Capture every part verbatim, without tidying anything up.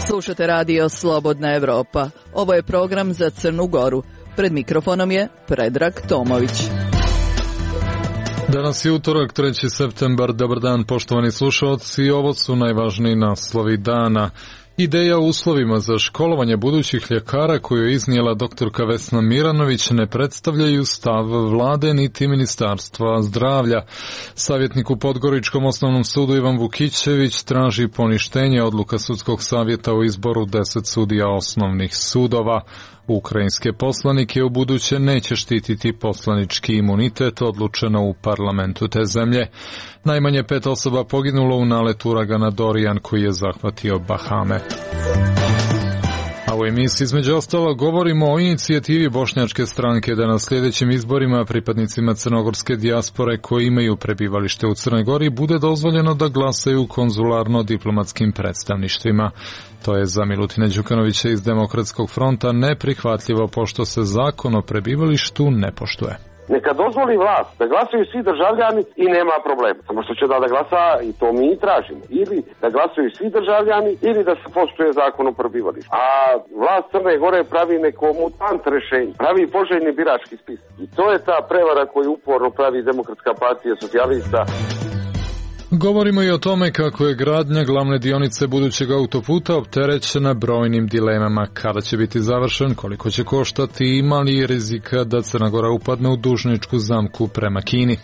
Slušate radio Slobodna Evropa. Ovo je program za Crnu Goru. Pred mikrofonom je Predrag Tomović. Danas je utorak, treći septembar. Dobar dan, poštovani slušalci. Ovo su najvažniji naslovi dana. Ideja o uslovima za školovanje budućih ljekara koju je iznijela doktorka Vesna Miranović ne predstavljaju stav vlade niti ministarstva zdravlja. Savjetnik u Podgoričkom osnovnom sudu Ivan Vukićević traži poništenje odluka sudskog savjeta o izboru deset sudija osnovnih sudova. Ukrajinske poslanike u buduće neće štititi poslanički imunitet, odlučeno u parlamentu te zemlje. Najmanje pet osoba poginulo u naletu uragana Dorian koji je zahvatio Bahame. A u emisiji između ostalo govorimo o inicijativi bošnjačke stranke da na sljedećim izborima pripadnicima crnogorske dijaspore koji imaju prebivalište u Crnoj Gori bude dozvoljeno da glasaju u konzularno-diplomatskim predstavništvima. To je za Milutina Đukanovića iz Demokratskog fronta neprihvatljivo pošto se zakon o prebivalištu ne poštuje. Neka dozvoli vlast da glasaju svi državljani i nema problema. Samo što će da, da glasa i to mi i tražimo. Ili da glasaju svi državljani ili da se poštuje zakon o prebivalištu. A vlast Crne Gore pravi neko mutant rešenje. Pravi poželjni birački spis. I to je ta prevara koju uporno pravi Demokratska partija socijalista. Govorimo i o tome kako je gradnja glavne dionice budućeg autoputa opterećena brojnim dilemama. Kada će biti završen, koliko će koštati i ima li rizika da Crna Gora upadne u dužničku zamku prema Kini.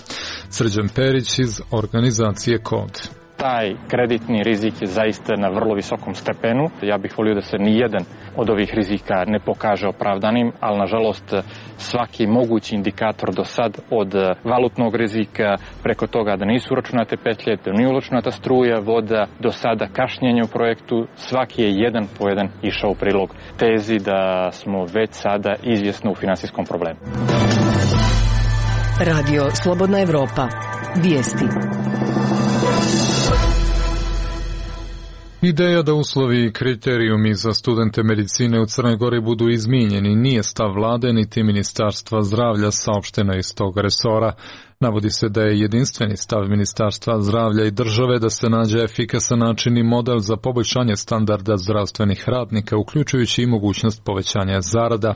Srđan Perić iz organizacije Kod. Taj kreditni rizik je zaista na vrlo visokom stepenu. Ja bih volio da se nijedan od ovih rizika ne pokaže opravdanim, ali nažalost svaki mogući indikator do sad od valutnog rizika preko toga da nisu uračunate petlje, da nije uračunata struja, voda, do sada kašnjenje u projektu, svaki je jedan po jedan išao u prilog tezi da smo već sada izvjesno u finansijskom problemu. Radio Slobodna Evropa. Vijesti. Ideja da uslovi i kriterijumi za studente medicine u Crnoj Gori budu izmijenjeni nije stav vlade niti ministarstva zdravlja, saopšteno iz tog resora. Navodi se da je jedinstveni stav Ministarstva zdravlja i države da se nađe efikasan način i model za poboljšanje standarda zdravstvenih radnika, uključujući i mogućnost povećanja zarada.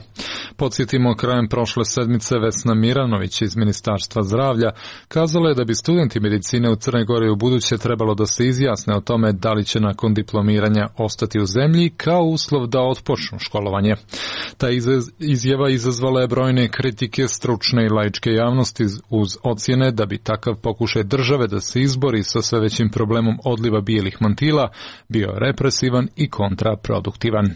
Podsjetimo, krajem prošle sedmice Vesna Miranović iz Ministarstva zdravlja kazala je da bi studenti medicine u Crnoj Gori u buduće trebalo da se izjasne o tome da li će nakon diplomiranja ostati u zemlji kao uslov da otpočnu školovanje. Ta izjava izazvala je brojne kritike stručne i laičke javnosti uz ocjene da bi takav pokušaj države da se izbori sa sve većim problemom odliva bijelih mantila bio represivan i kontraproduktivan.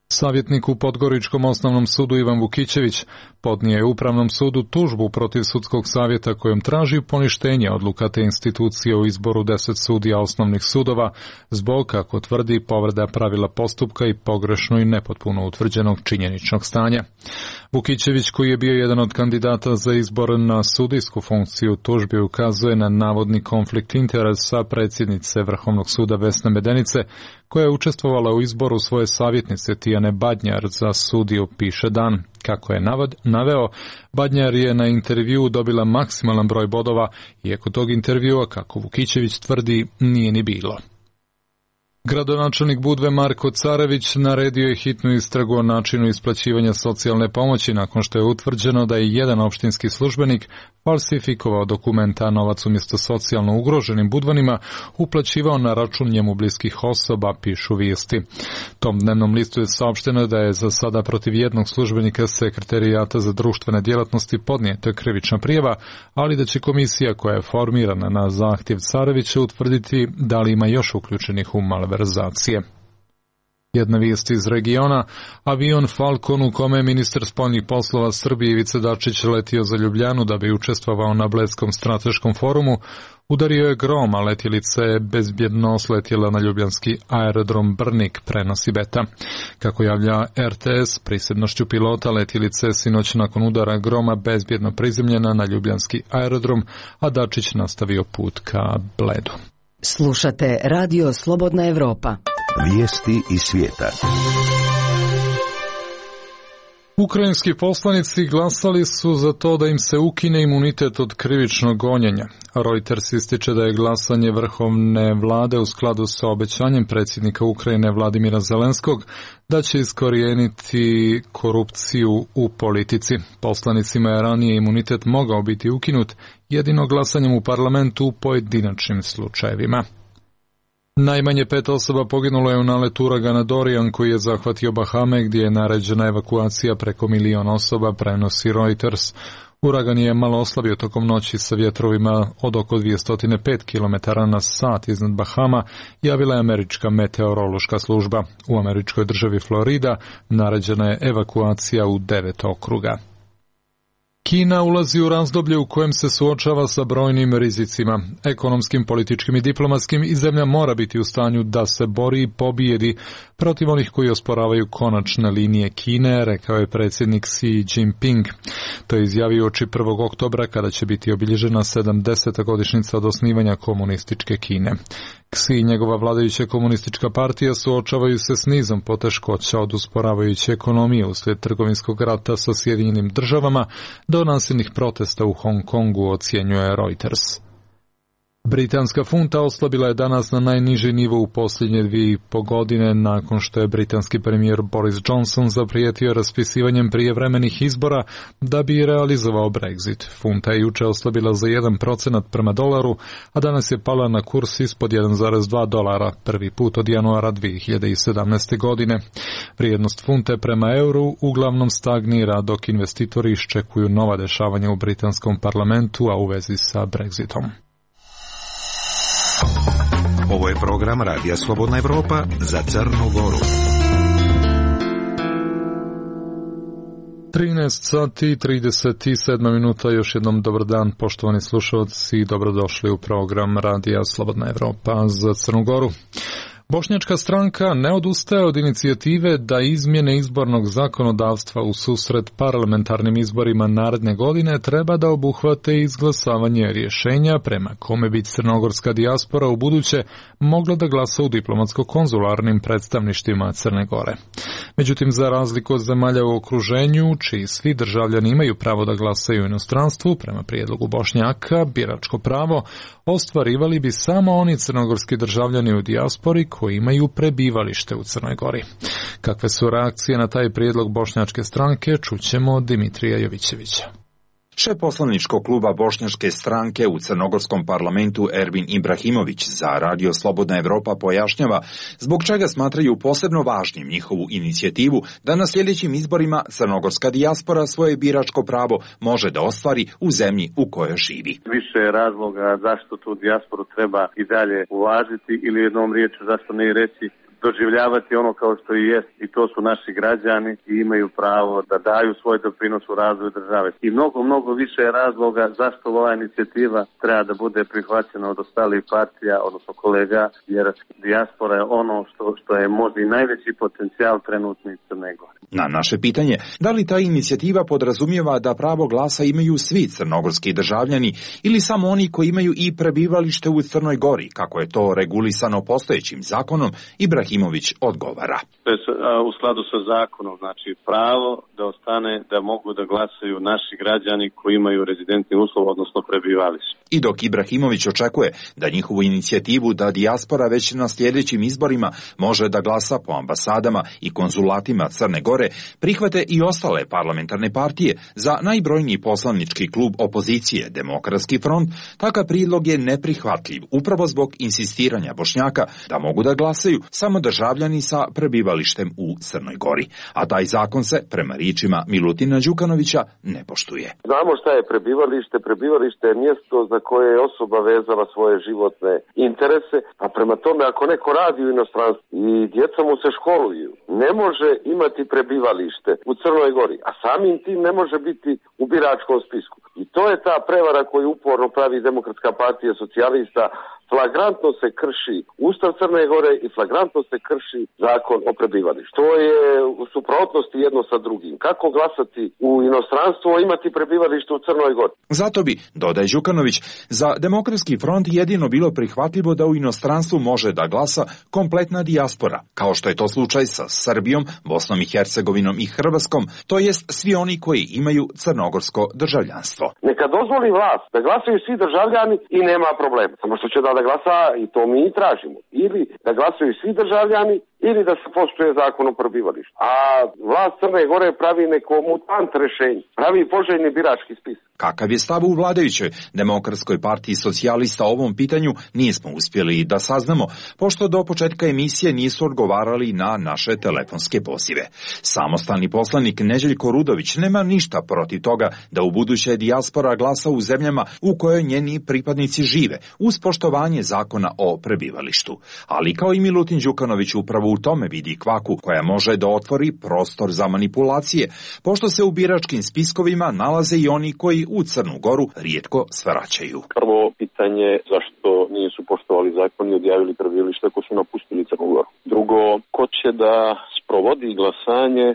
Savjetnik u Podgoričkom osnovnom sudu Ivan Vukićević podnio je Upravnom sudu tužbu protiv sudskog savjeta kojom traži poništenje odluka te institucije o izboru deset sudija osnovnih sudova zbog, kako tvrdi, povreda pravila postupka i pogrešno i nepotpuno utvrđenog činjeničnog stanja. Vukićević, koji je bio jedan od kandidata za izbor na sudijsku funkciju, tužbi ukazuje na navodni konflikt interesa predsjednice Vrhovnog suda Vesne Medenice, koja je učestvovala u izboru svoje savjetnice Tijane Badnjar za sudiju, piše Dan. Kako je navad, naveo, Badnjar je na intervjuu dobila maksimalan broj bodova, iako tog intervjua, kako Vukićević tvrdi, nije ni bilo. Gradonačelnik Budve Marko Carević naredio je hitnu istragu o načinu isplaćivanja socijalne pomoći nakon što je utvrđeno da je jedan opštinski službenik falsifikovao dokumenta, a novac umjesto socijalno ugroženim Budvanima uplaćivao na račun njemu bliskih osoba, pišu vijesti. Tom dnevnom listu je saopšteno da je za sada protiv jednog službenika Sekretarijata za društvene djelatnosti podnijeta krivična prijava, ali da će komisija koja je formirana na zahtjev Carevića utvrditi da li ima još uključenih u malverzacije. Jedna vijest iz regiona, avion Falcon u kome je ministar spoljnih poslova Srbije Ivica Dačić letio za Ljubljanu da bi učestvovao na Bledskom strateškom forumu, udario je grom, a letjelica je bezbjedno sletjela na ljubljanski aerodrom Brnik, prenosi Beta. Kako javlja R T S, prisebnošću pilota letjelice sinoć nakon udara groma bezbjedno prizemljena na ljubljanski aerodrom, a Dačić nastavio put ka Bledu. Slušate Radio Slobodna Evropa. Vijesti iz svijeta. Ukrajinski poslanici glasali su za to da im se ukine imunitet od krivičnog gonjenja. Reuters ističe da je glasanje vrhovne vlade u skladu sa obećanjem predsjednika Ukrajine Vladimira Zelenskog da će iskorijeniti korupciju u politici. Poslanicima je ranije imunitet mogao biti ukinut jedino glasanjem u parlamentu u pojedinačnim slučajevima. Najmanje pet osoba poginulo je u naletu uragana Dorian koji je zahvatio Bahame gdje je naređena evakuacija preko milion osoba, prenosi Reuters. Uragan je malo oslabio tokom noći sa vjetrovima od oko dvjesto pet kilometara na sat iznad Bahama, javila je američka meteorološka služba. U američkoj državi Florida naređena je evakuacija u devet okruga. Kina ulazi u razdoblje u kojem se suočava sa brojnim rizicima, ekonomskim, političkim i diplomatskim, i zemlja mora biti u stanju da se bori i pobijedi protiv onih koji osporavaju konačne linije Kine, rekao je predsjednik Xi Jinping. To je izjavio oči prvog oktobra kada će biti obilježena sedamdeseta godišnjica od osnivanja komunističke Kine. Xi i njegova vladajuća komunistička partija suočavaju se s nizom poteškoća od usporavajuće ekonomije uslijed trgovinskog rata sa Sjedinjenim državama do nasilnih protesta u Hong Kongu, ocjenjuje Reuters. Britanska funta oslabila je danas na najniži nivo u posljednje dvije i po godine nakon što je britanski premijer Boris Johnson zaprijetio raspisivanjem prijevremenih izbora da bi realizovao Brexit. Funta je jučer oslabila za jedan procenat prema dolaru, a danas je pala na kurs ispod jedan zarez dva dolara, prvi put od januara dvije hiljade sedamnaeste. godine. Vrijednost funte prema euru uglavnom stagnira dok investitori iščekuju nova dešavanja u britanskom parlamentu, a u vezi sa Brexitom. Ovo je program Radija Slobodna Evropa za Crnu Goru. trinaest sati i trideset sedam minuta, još jednom dobar dan poštovani slušalci i dobrodošli u program Radija Slobodna Evropa za Crnu Goru. Bošnjačka stranka ne odustaje od inicijative da izmjene izbornog zakonodavstva u susret parlamentarnim izborima naredne godine treba da obuhvate izglasavanje rješenja prema kome bi crnogorska dijaspora u buduće mogla da glasa u diplomatsko-konzularnim predstavništvima Crne Gore. Međutim, za razliku od zemalja u okruženju, čiji svi državljani imaju pravo da glasaju u inostranstvu, prema prijedlogu Bošnjaka, biračko pravo ostvarivali bi samo oni crnogorski državljani u dijaspori koji imaju prebivalište u Crnoj Gori. Kakve su reakcije na taj prijedlog bošnjačke stranke, čućemo od Dimitrija Jovićevića. Šef poslaničkog kluba Bošnjačke stranke u crnogorskom parlamentu Ervin Ibrahimović za Radio Slobodna Evropa pojašnjava zbog čega smatraju posebno važnim njihovu inicijativu da na sljedećim izborima crnogorska dijaspora svoje biračko pravo može da ostvari u zemlji u kojoj živi. Više je razloga zašto tu dijasporu treba i dalje uvažiti ili jednom riječju zašto ne reći doživljavati ono kao što i jest, i to su naši građani i imaju pravo da daju svoj doprinos u razvoju države. I mnogo, mnogo više je razloga zašto ova inicijativa treba da bude prihvaćena od ostalih partija, odnosno kolega, jer dijaspora je ono što, što je možda i najveći potencijal trenutni Crne Gore. Na naše pitanje, da li ta inicijativa podrazumijeva da pravo glasa imaju svi crnogorski državljani ili samo oni koji imaju i prebivalište u Crnoj Gori, kako je to regulisano postojećim zakonom, Ibrahimović odgovara. To je u skladu sa zakonom, znači pravo da ostane da mogu da glasaju naši građani koji imaju rezidentni uslov, odnosno prebivalište. I dok Ibrahimović očekuje da njihovu inicijativu da dijaspora već na sljedećim izborima može da glasa po ambasadama i konzulatima Crne Gore, prihvate i ostale parlamentarne partije, za najbrojniji poslanički klub opozicije Demokratski front, takav prijedlog je neprihvatljiv upravo zbog insistiranja Bošnjaka da mogu da glasaju samo državljani sa prebivalištem u Crnoj Gori. A taj zakon se, prema riječima Milutina Đukanovića, ne poštuje. Znamo šta je prebivalište. Prebivalište je mjesto za koje je osoba vezala svoje životne interese, a prema tome ako neko radi u inostranstvu i djeca mu se školuju, ne može imati prebivalište u Crnoj Gori, a samim tim ne može biti u biračkom spisku. I to je ta prevara koju uporno pravi Demokratska partija socijalista, flagrantno se krši Ustav Crne Gore i flagrantno se krši zakon o prebivalištu. To je u suprotnosti jedno sa drugim. Kako glasati u inostranstvu, a imati prebivalište u Crnoj Gori? Zato bi, dodaje Đukanović, za Demokratski front jedino bilo prihvatljivo da u inostranstvu može da glasa kompletna dijaspora, kao što je to slučaj sa Srbijom, Bosnom i Hercegovinom i Hrvatskom, to jest svi oni koji imaju crnogorsko državljanstvo. Neka dozvoli vlast da glasaju svi državljani i nema problema. Samo što će da da glasa i to mi i tražimo. Ili da glasaju svi državljani ili da se poštuje zakon o prebivalištu. A vlast Crne Gore pravi neko mutant rešenje, pravi poželjni birački spis. Kakav je stav u vladajućoj Demokratskoj partiji socijalista o ovom pitanju nismo uspjeli da saznamo, pošto do početka emisije nisu odgovarali na naše telefonske pozive. Samostalni poslanik Neđeljko Rudović nema ništa protiv toga da u buduće dijaspora glasa u zemljama u kojoj njeni pripadnici žive, uz poštovanje zakona o prebivalištu. Ali kao i Milutin Đukanović upravo u tome vidi kvaku koja može da otvori prostor za manipulacije, pošto se u biračkim spiskovima nalaze i oni koji u Crnu Goru rijetko svraćaju. Prvo pitanje, zašto nisu poštovali zakon i odjavili prebivalište ako su napustili Crnu Goru. Drugo, ko će da sprovodi glasanje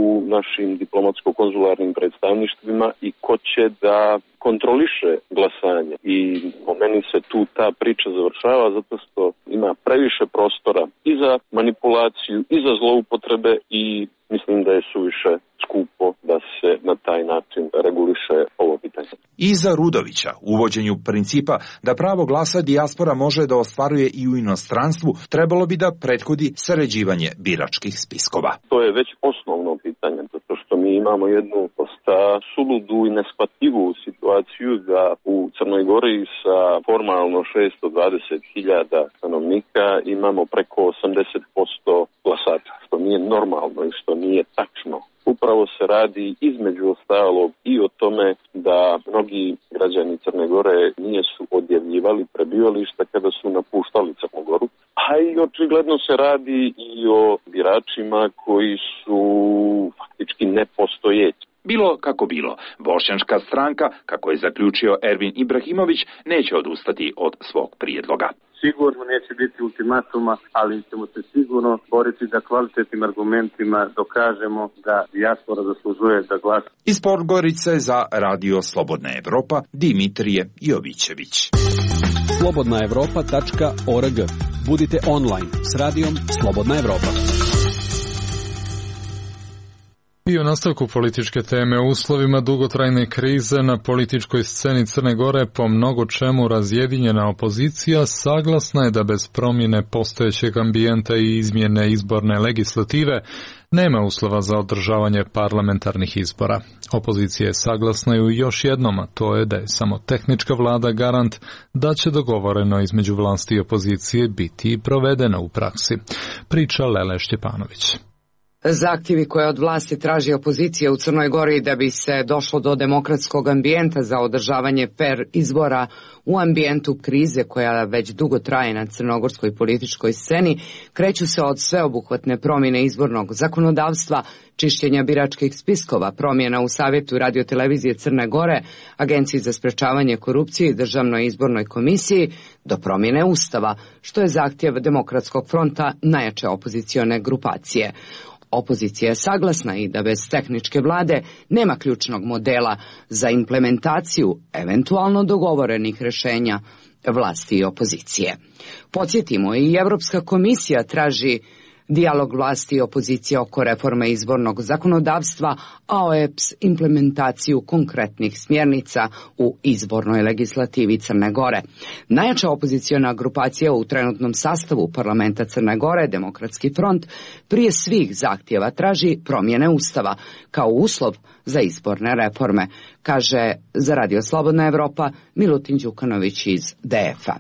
u našim diplomatsko-konzularnim predstavništvima i ko će da kontroliše glasanje. I po meni se tu ta priča završava zato što ima previše prostora i za manipulaciju i za zloupotrebe i mislim da je suviše skupo da se na taj način reguliše ovo pitanje. I za Rudovića, uvođenju principa da pravo glasa dijaspora može da ostvaruje i u inostranstvu, trebalo bi da prethodi sređivanje biračkih spiskova. To je već osnovno pitanje, zato što mi imamo jednu dosta suludu i neshvatljivu situaciju da u Crnoj Gori sa formalno šesto dvadeset hiljada stanovnika imamo preko osamdeset posto glasača, što nije normalno i što nije tačno. Upravo se radi između ostalog i o tome da mnogi građani Crne Gore nisu odjavljivali prebivališta kada su napuštali Crnu Goru, a i očigledno se radi i o biračima koji su faktički nepostojeći. Bilo kako bilo, bošnjačka stranka, kako je zaključio Ervin Ibrahimović, neće odustati od svog prijedloga. Sigurno neće biti ultimatuma, ali ćemo se sigurno boriti da kvalitetnim argumentima dokažemo da dijaspora zaslužuje da glasa. Iz Podgorice za Radio Slobodna Evropa, Dimitrije Jovićević. slobodna evropa tačka org. Budite online s radijom Slobodna Evropa. I o nastavku političke teme, u uslovima dugotrajne krize na političkoj sceni Crne Gore po mnogo čemu razjedinjena opozicija saglasna je da bez promjene postojećeg ambijenta i izmjene izborne legislative nema uslova za održavanje parlamentarnih izbora. Opozicija je saglasna i u još jednom, a to je da je samo tehnička vlada garant da će dogovoreno između vlasti i opozicije biti i provedeno u praksi. Priča Lele Štjepanović. Zahtjevi koje od vlasti traži opozicija u Crnoj Gori da bi se došlo do demokratskog ambijenta za održavanje fer izbora u ambijentu krize koja već dugo traje na crnogorskoj političkoj sceni, kreću se od sveobuhvatne promjene izbornog zakonodavstva, čišćenja biračkih spiskova, promjena u Savjetu radiotelevizije Crne Gore, Agenciji za sprečavanje korupcije i Državnoj izbornoj komisiji, do promjene Ustava, što je zahtjev Demokratskog fronta, najjače opozicione grupacije. Opozicija je saglasna i da bez tehničke vlade nema ključnog modela za implementaciju eventualno dogovorenih rješenja vlasti i opozicije. Podsjetimo, i Europska komisija traži dijalog vlasti i opozicije oko reforme izbornog zakonodavstva, a O E P S implementaciju konkretnih smjernica u izbornoj legislativi Crne Gore. Najjača opoziciona grupacija u trenutnom sastavu parlamenta Crne Gore, Demokratski front, prije svih zahtjeva traži promjene Ustava kao uslov za izborne reforme, kaže za Radio Slobodna Evropa Milutin Đukanović iz D F-a.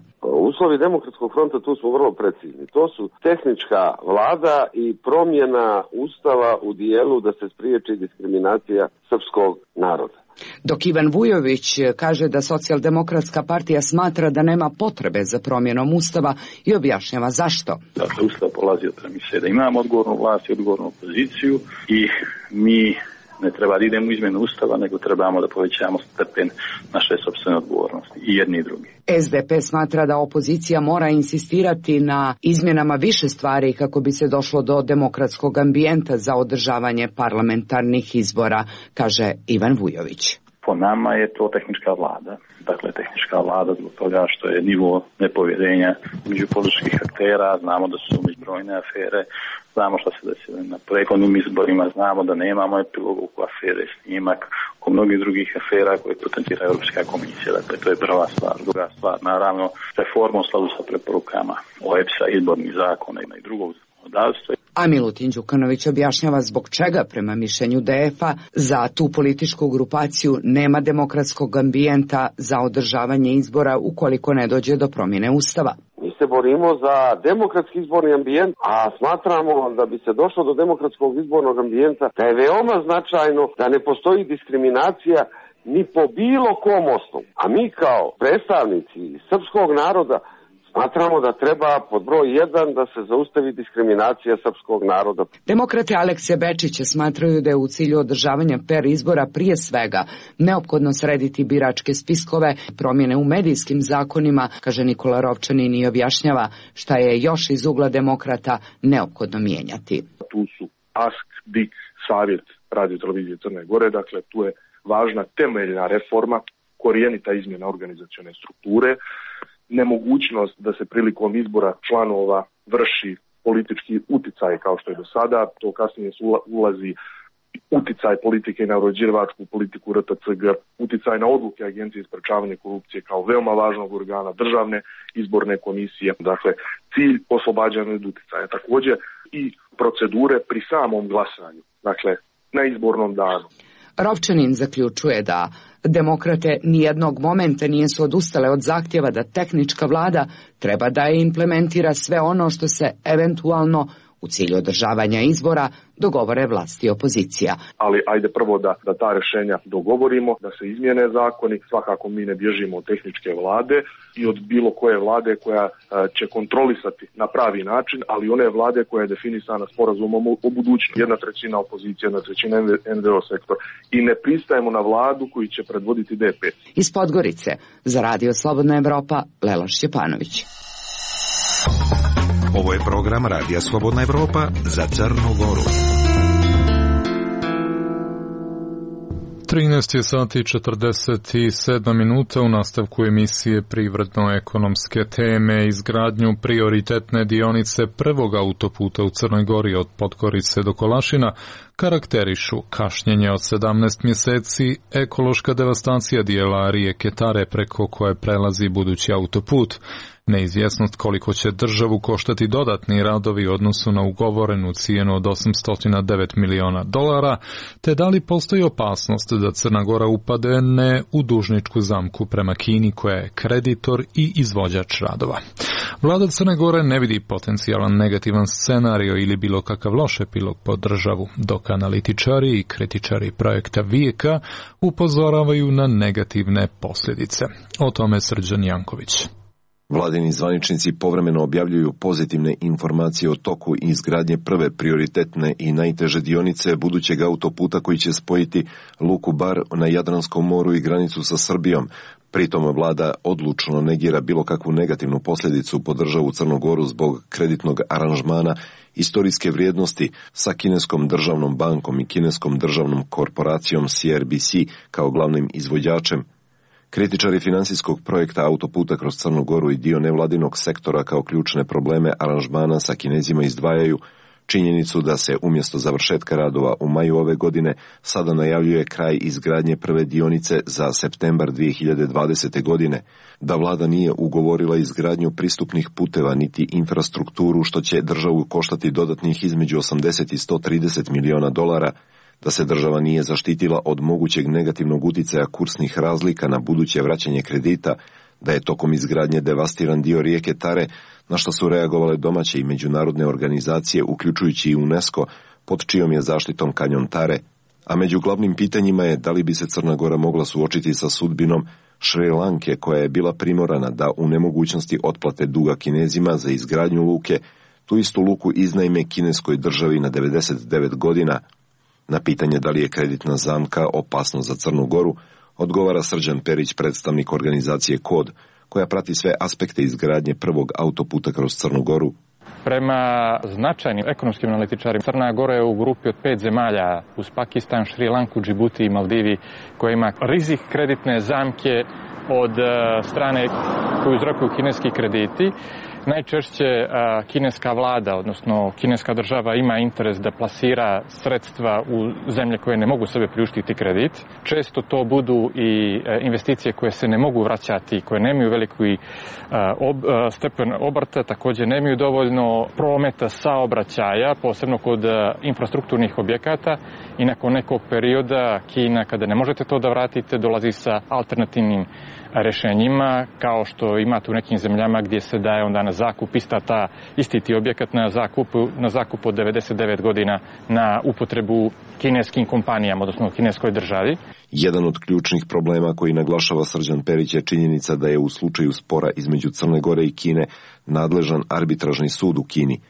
Uslovi Demokratskog fronta tu su vrlo precizni. To su tehnička vlada i promjena Ustava u dijelu da se spriječi diskriminacija srpskog naroda. Dok Ivan Vujović kaže da Socijaldemokratska partija smatra da nema potrebe za promjenom Ustava i objašnjava zašto. Dakle, Ustav polazi od premise da imamo odgovornu vlast i odgovornu opoziciju i mi Ne treba da idemo u izmjenu Ustava, nego trebamo da povećamo stepen naše sopstvene odgovornosti, i jedni i drugi. S D P smatra da opozicija mora insistirati na izmjenama više stvari kako bi se došlo do demokratskog ambijenta za održavanje parlamentarnih izbora, kaže Ivan Vujović. Po nama je to tehnička vlada. Dakle, tehnička vlada zbog toga što je nivo nepovjerenja među političkih aktera, znamo da su brojne afere, znamo što se desilo na prethodnim izborima, znamo da nemamo epilogu oko afere snimak, oko mnogih drugih afera koje potencira Europska komisija. Dakle, to je prva stvar. Druga stvar, naravno, reforma u skladu sa preporukama O E P S-a, izbornih zakona i drugog zakonodavstva. A Milutin Đukanović objašnjava zbog čega, prema mišljenju D F A, za tu političku grupaciju nema demokratskog ambijenta za održavanje izbora ukoliko ne dođe do promjene Ustava. Mi se borimo za demokratski izborni ambijent, a smatramo da bi se došlo do demokratskog izbornog ambijenta da je veoma značajno da ne postoji diskriminacija ni po bilo kom osnovu. A mi kao predstavnici srpskog naroda smatramo da treba pod broj jedan da se zaustavi diskriminacija srpskog naroda. Demokrate Alekse Bečića smatraju da je u cilju održavanja per izbora prije svega neophodno srediti biračke spiskove, promjene u medijskim zakonima, kaže Nikola Rovčanin i objašnjava šta je još iz ugla demokrata neophodno mijenjati. Tu su A S K, B I K, Savjet Radio televizije Crne Gore, dakle tu je važna temeljna reforma, korijenita izmjena organizacione strukture, nemogućnost da se prilikom izbora članova vrši politički uticaj kao što je do sada, to kasnije ulazi uticaj politike na uređivačku politiku R T C G, uticaj na odluke Agencije za sprečavanje korupcije kao veoma važnog organa državne izborne komisije, dakle cilj oslobađanja od uticaja. Također i procedure pri samom glasanju, dakle na izbornom danu. Rovčanin zaključuje da demokrate nijednog momenta nisu odustale od zahtjeva da tehnička vlada treba da je implementira sve ono što se eventualno u cilju održavanja izbora dogovore vlasti i opozicija. Ali ajde prvo da, da ta rješenja dogovorimo, da se izmijene zakoni, svakako mi ne bježimo od tehničke vlade i od bilo koje vlade koja a, će kontrolisati na pravi način, ali one vlade koja je definisana sporazumom o, o budućnosti. Jedna trećina opozicije, jedna trećina N V O sektor i ne pristajemo na vladu koju će predvoditi D P. Iz Podgorice, za Radio Slobodna Evropa, Lela Šćepanović. Ovo je program Radija Slobodna Evropa za Crnu Goru. trinaest je sati četrdeset sedam minuta. U nastavku emisije privredno-ekonomske teme. Izgradnju prioritetne dionice prvog autoputa u Crnoj Gori od Podgorice do Kolašina karakterišu kašnjenje od sedamnaest mjeseci, ekološka devastacija dijela rijeke Tare preko koje prelazi budući autoput, neizvjesnost koliko će državu koštati dodatni radovi u odnosu na ugovorenu cijenu od osamsto devet miliona dolara, te da li postoji opasnost da Crna Gora upade ne u dužničku zamku prema Kini koja je kreditor i izvođač radova. Vlada Crne Gore ne vidi potencijalan negativan scenario ili bilo kakav loš epilog po državu, dok analitičari i kritičari projekta Vijeka upozoravaju na negativne posljedice. O tome Srđan Janković. Vladini zvaničnici povremeno objavljuju pozitivne informacije o toku i izgradnje prve prioritetne i najteže dionice budućeg autoputa koji će spojiti luku Bar na Jadranskom moru i granicu sa Srbijom. Pritom vlada odlučno negira bilo kakvu negativnu posljedicu po državu Crnu Goru zbog kreditnog aranžmana istorijske vrijednosti sa kineskom državnom bankom i kineskom državnom korporacijom C R B C kao glavnim izvođačem. Kritičari financijskog projekta autoputa kroz Crnu Goru i dio nevladinog sektora kao ključne probleme aranžmana sa Kinezima izdvajaju činjenicu da se umjesto završetka radova u maju ove godine sada najavljuje kraj izgradnje prve dionice za septembar dvije hiljade dvadesete. godine, da vlada nije ugovorila izgradnju pristupnih puteva niti infrastrukturu što će državu koštati dodatnih između osamdeset i sto trideset miliona dolara, da se država nije zaštitila od mogućeg negativnog uticaja kursnih razlika na buduće vraćanje kredita, da je tokom izgradnje devastiran dio rijeke Tare, na što su reagovale domaće i međunarodne organizacije, uključujući i UNESCO, pod čijom je zaštitom kanjon Tare. A među glavnim pitanjima je da li bi se Crna Gora mogla suočiti sa sudbinom Šri Lanke, koja je bila primorana da u nemogućnosti otplate duga Kinezima za izgradnju luke, tu istu luku iznajme kineskoj državi na devedeset devet godina. Na pitanje da li je kreditna zamka opasnost za Crnu Goru, odgovara Srđan Perić, predstavnik organizacije Kod, koja prati sve aspekte izgradnje prvog autoputa kroz Crnu Goru. Prema značajnim ekonomskim analitičarima, Crna Gora je u grupi od pet zemalja uz Pakistan, Šri Lanku, Džibuti i Maldivi, koja ima rizik kreditne zamke od strane koju uzrokuju kineski krediti. Najčešće a, kineska vlada, odnosno kineska država ima interes da plasira sredstva u zemlje koje ne mogu sebe priuštiti kredit. Često to budu i a, investicije koje se ne mogu vraćati, koje nemaju veliki a, ob, a, stepen obrta, također nemaju dovoljno prometa saobraćaja, posebno kod a, infrastrukturnih objekata, i nakon nekog perioda Kina, kada ne možete to da vratite, dolazi sa alternativnim rešenjima, kao što imate u nekim zemljama gdje se daje onda na zakup ista ta, isti ti objekat na zakup, na zakup od devedeset devet godina na upotrebu kineskim kompanijama, odnosno kineskoj državi. Jedan od ključnih problema koji naglašava Srđan Perić je činjenica da je u slučaju spora između Crne Gore i Kine nadležan arbitražni sud u Kini,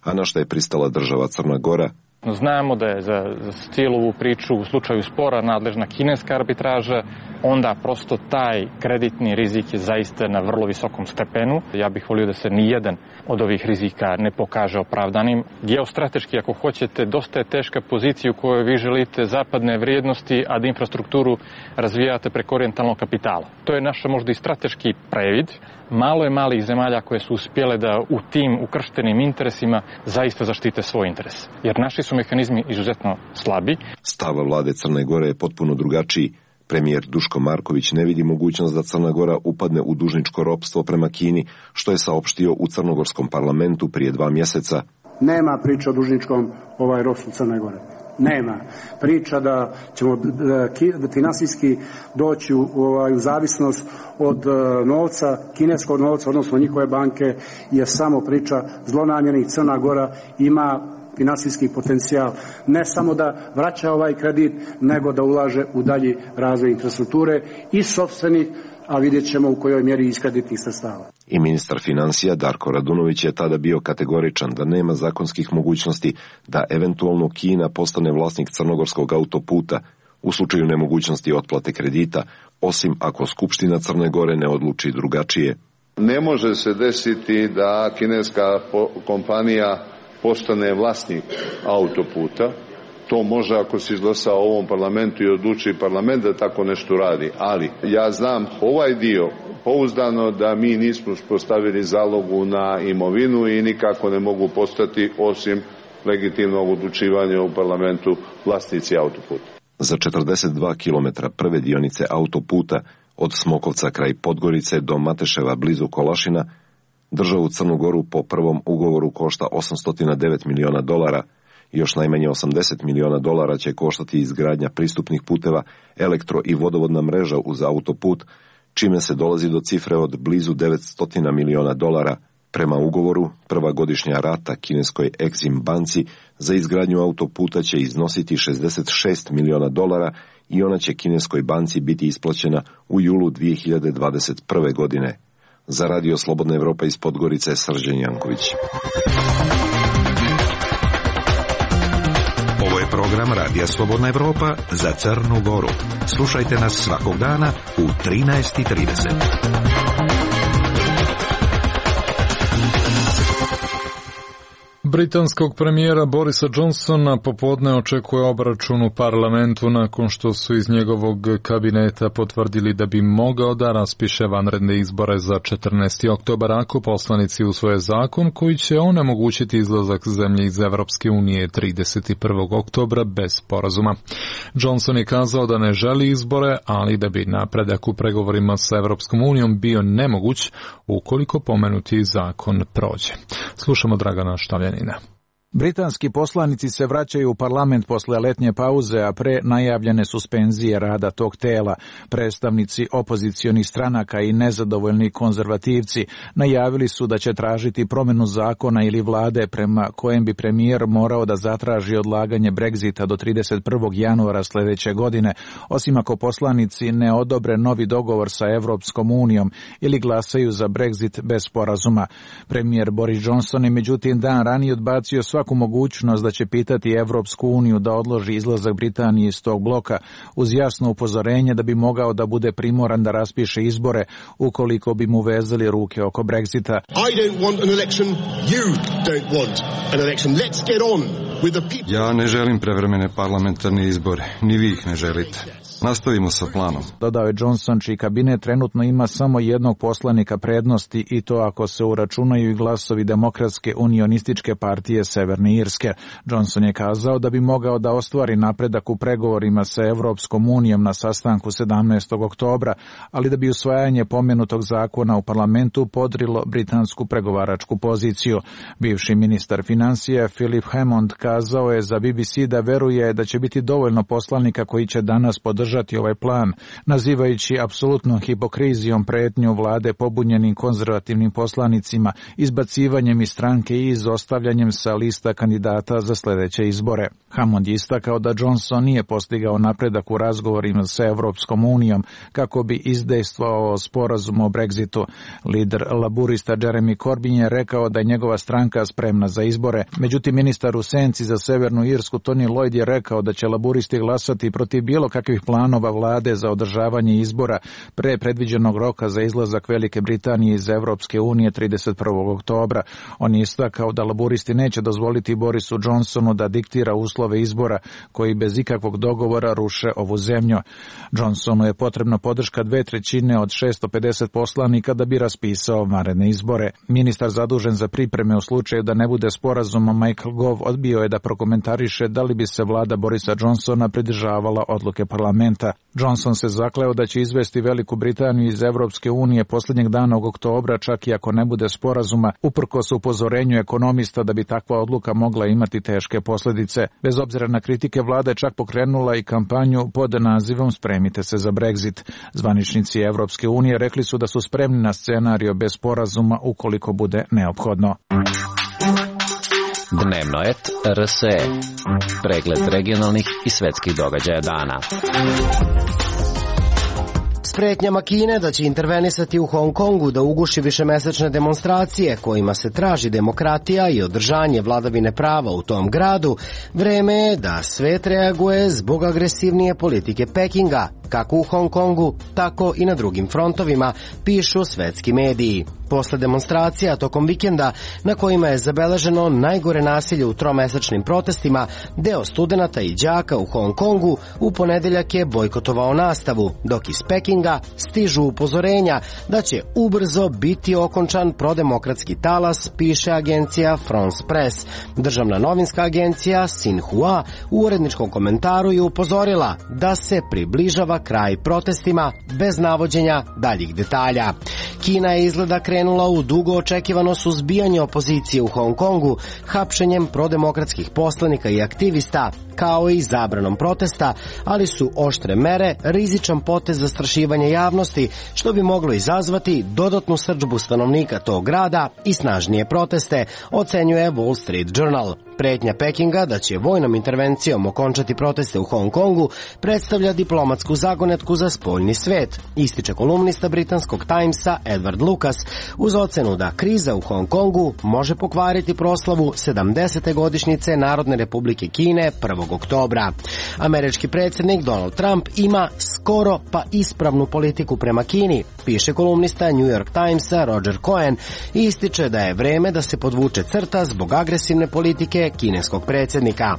a na što je pristala država Crna Gora. Znamo da je za, za cijelu ovu priču u slučaju spora nadležna kineska arbitraža, onda prosto taj kreditni rizik je zaista na vrlo visokom stepenu. Ja bih volio da se nijedan od ovih rizika ne pokaže opravdanim. Geostrateški, ako hoćete, dosta je teška pozicija u kojoj vi želite zapadne vrijednosti, a da infrastrukturu razvijate preko orijentalnog kapitala. To je naša možda i strateški previd. Malo je malih zemalja koje su uspjele da u tim ukrštenim interesima zaista zaštite svoj interes. Jer naši su mehanizmi izuzetno slabi. Stav vlade Crne Gore je potpuno drugačiji. Premijer Duško Marković ne vidi mogućnost da Crna Gora upadne u dužničko ropstvo prema Kini, što je saopštio u crnogorskom parlamentu prije dva mjeseca. Nema priča o dužničkom ovaj ropstvu Crne Gore. Nema. Priča da ćemo da finansijski doći u, ovaj, u zavisnost od novca, kineskog novca, odnosno njihove banke, je samo priča zlonamjernih. Crna Gora ima finansijski potencijal ne samo da vraća ovaj kredit, nego da ulaže u dalji razvoj infrastrukture i sopstvenih, a vidjet ćemo u kojoj mjeri iz kreditnih sredstava. I ministar financija Darko Radunović je tada bio kategoričan da nema zakonskih mogućnosti da eventualno Kina postane vlasnik crnogorskog autoputa u slučaju nemogućnosti otplate kredita, osim ako Skupština Crne Gore ne odluči drugačije. Ne može se desiti da kineska kompanija postane vlasnik autoputa. To može ako se izglasa u ovom parlamentu i odluči parlament da tako nešto radi. Ali ja znam ovaj dio pouzdano da mi nismo uspostavili zalogu na imovinu i nikako ne mogu postati, osim legitimnog odlučivanja u parlamentu, vlasnici autoputa. Za četrdeset dva kilometra prve dionice autoputa od Smokovca kraj Podgorice do Mateševa blizu Kolašina državu Crnu Goru po prvom ugovoru košta osamsto devet miliona dolara. Još najmanje osamdeset miliona dolara će koštati izgradnja pristupnih puteva, elektro i vodovodna mreža uz autoput, čime se dolazi do cifre od blizu devetsto miliona dolara. Prema ugovoru, prva godišnja rata kineskoj Exim banci za izgradnju autoputa će iznositi šezdeset šest miliona dolara i ona će kineskoj banci biti isplaćena u julu dvije hiljade dvadeset prve. godine. Za Radio Slobodna Evropa iz Podgorice, Srđan Janković. Ovo je program Radija Slobodna Evropa za Crnu Goru. Slušajte nas svakog dana u trinaest i trideset. Britanskog premijera Borisa Johnsona popodne očekuje obračun u parlamentu nakon što su iz njegovog kabineta potvrdili da bi mogao da raspiše vanredne izbore za četrnaesti oktobar ako poslanici usvoje zakon koji će onemogućiti izlazak zemlje iz Evropske unije trideset prvog oktobra bez sporazuma. Johnson je kazao da ne želi izbore, ali da bi napredak u pregovorima sa Evropskom unijom bio nemoguć ukoliko pomenuti zakon prođe. Slušamo Dragana Štavljanina. Britanski poslanici se vraćaju u parlament posle letnje pauze, a pre najavljene suspenzije rada tog tela. Predstavnici opozicionih stranaka i nezadovoljni konzervativci najavili su da će tražiti promjenu zakona ili vlade prema kojem bi premijer morao da zatraži odlaganje Brexita do trideset prvog januara sljedeće godine, osim ako poslanici ne odobre novi dogovor sa Evropskom unijom ili glasaju za Brexit bez sporazuma. Premijer Boris Johnson je međutim dan ranije odbacio svaku svaku mogućnost da će pitati Evropsku uniju da odloži izlazak Britanije iz tog bloka, uz jasno upozorenje da bi mogao da bude primoran da raspiše izbore ukoliko bi mu vezali ruke oko Brexita. Ja ne želim prevremene parlamentarne izbore, ni vi ih ne želite. Nastavimo sa planom. Dodao je Johnson, čiji kabinet trenutno ima samo jednog poslanika prednosti i to ako se uračunaju i glasovi Demokratske unionističke partije Severne Irske. Johnson je kazao da bi mogao da ostvari napredak u pregovorima sa Evropskom unijom na sastanku sedamnaestog oktobra, ali da bi usvajanje pomenutog zakona u parlamentu podrilo britansku pregovaračku poziciju. Bivši ministar financija Philip Hammond kazao je za B B C da veruje da će biti dovoljno poslanika koji će danas podržati ovaj plan, nazivajući apsolutnom hipokrizijom pretnju vlade pobunjenim konzervativnim poslanicima, izbacivanjem iz stranke i izostavljanjem sa lista kandidata za sljedeće izbore. Hammond je istakao da Johnson nije postigao napredak u razgovorima sa Evropskom unijom kako bi izdejstvovao sporazum o Brexitu. Lider laburista Jeremy Corbyn je rekao da je njegova stranka spremna za izbore. Međutim, ministar u senci za Severnu Irsku Tony Lloyd je rekao da će laburisti glasati protiv bilo kakvih planova vlade za održavanje izbora pre predviđenog roka za izlazak Velike Britanije iz Evropske unije trideset prvog oktobra. On je istakao da laburisti neće dozvoliti Borisu Johnsonu da diktira uslove izbora koji bez ikakvog dogovora ruše ovu zemlju. Johnsonu je potrebna podrška dve trećine od šesto pedeset poslanika da bi raspisao vanredne izbore. Ministar zadužen za pripreme u slučaju da ne bude sporazuma Michael Gove odbio je da prokomentariše da li bi se vlada Borisa Johnsona pridržavala odluke parlamenta. Johnson se zakleo da će izvesti Veliku Britaniju iz Evropske unije posljednjeg dana oktobra, čak i ako ne bude sporazuma, uprkos upozorenju ekonomista da bi takva odluka mogla imati teške posljedice. Bez obzira na kritike, vlada je čak pokrenula i kampanju pod nazivom Spremite se za Brexit. Zvaničnici Evropske unije rekli su da su spremni na scenario bez sporazuma ukoliko bude neophodno. Dnevno et R S E. Pregled regionalnih i svetskih događaja dana. S pretnjama Kine da će intervenisati u Hong Kongu da uguši višemesečne demonstracije kojima se traži demokratija i održanje vladavine prava u tom gradu, vreme je da svet reaguje zbog agresivnije politike Pekinga, kako u Hong Kongu, tako i na drugim frontovima, pišu svetski mediji. Posle demonstracija tokom vikenda na kojima je zabeleženo najgore nasilje u tromesečnim protestima, deo studenata i đaka u Hong Kongu u ponedeljak je bojkotovao nastavu, dok iz Pekinga stižu upozorenja da će ubrzo biti okončan prodemokratski talas, piše agencija France Press. Državna novinska agencija Xinhua u uredničkom komentaru je upozorila da se približava kraj protestima bez navođenja daljih detalja. Kina je izgleda krenula u dugo očekivano suzbijanje opozicije u Hong Kongu, hapšenjem prodemokratskih poslanika i aktivista, kao i zabranom protesta, ali su oštre mere rizičan potez zastrašivanja javnosti, što bi moglo izazvati dodatnu srdžbu stanovnika tog grada i snažnije proteste, ocenjuje Wall Street Journal. Pretnja Pekinga da će vojnom intervencijom okončati proteste u Hong Kongu predstavlja diplomatsku zagonetku za spoljni svet, ističe kolumnista britanskog Timesa Edward Lucas, uz ocenu da kriza u Hong Kongu može pokvariti proslavu sedamdesete godišnjice Narodne republike Kine prvog oktobra. Američki predsjednik Donald Trump ima skoro pa ispravnu politiku prema Kini, piše kolumnista New York Timesa Roger Cohen i ističe da je vreme da se podvuče crta zbog agresivne politike kineskog predsjednika.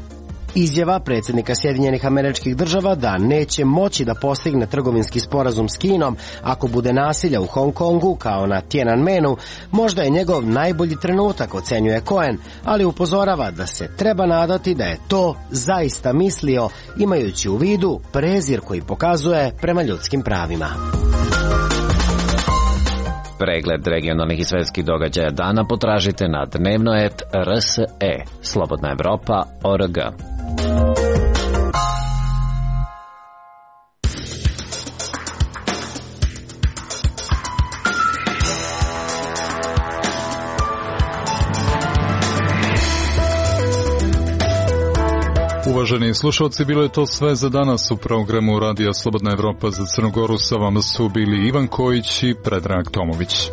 Izjava predsjednika Sjedinjenih Američkih Država da neće moći da postigne trgovinski sporazum s Kinom ako bude nasilja u Hong Kongu kao na Tiananmenu, možda je njegov najbolji trenutak, ocenjuje Cohen, ali upozorava da se treba nadati da je to zaista mislio, imajući u vidu prezir koji pokazuje prema ljudskim pravima. Pregled regionalnih i svetskih događaja dana potražite na dnevno et R S E, Slobodna Evropa, O R G. Uvaženi slušalci, bilo je to sve za danas u programu Radija Slobodna Evropa za Crnogoru. Sa vama su bili Ivan Kojić i Predrag Tomović.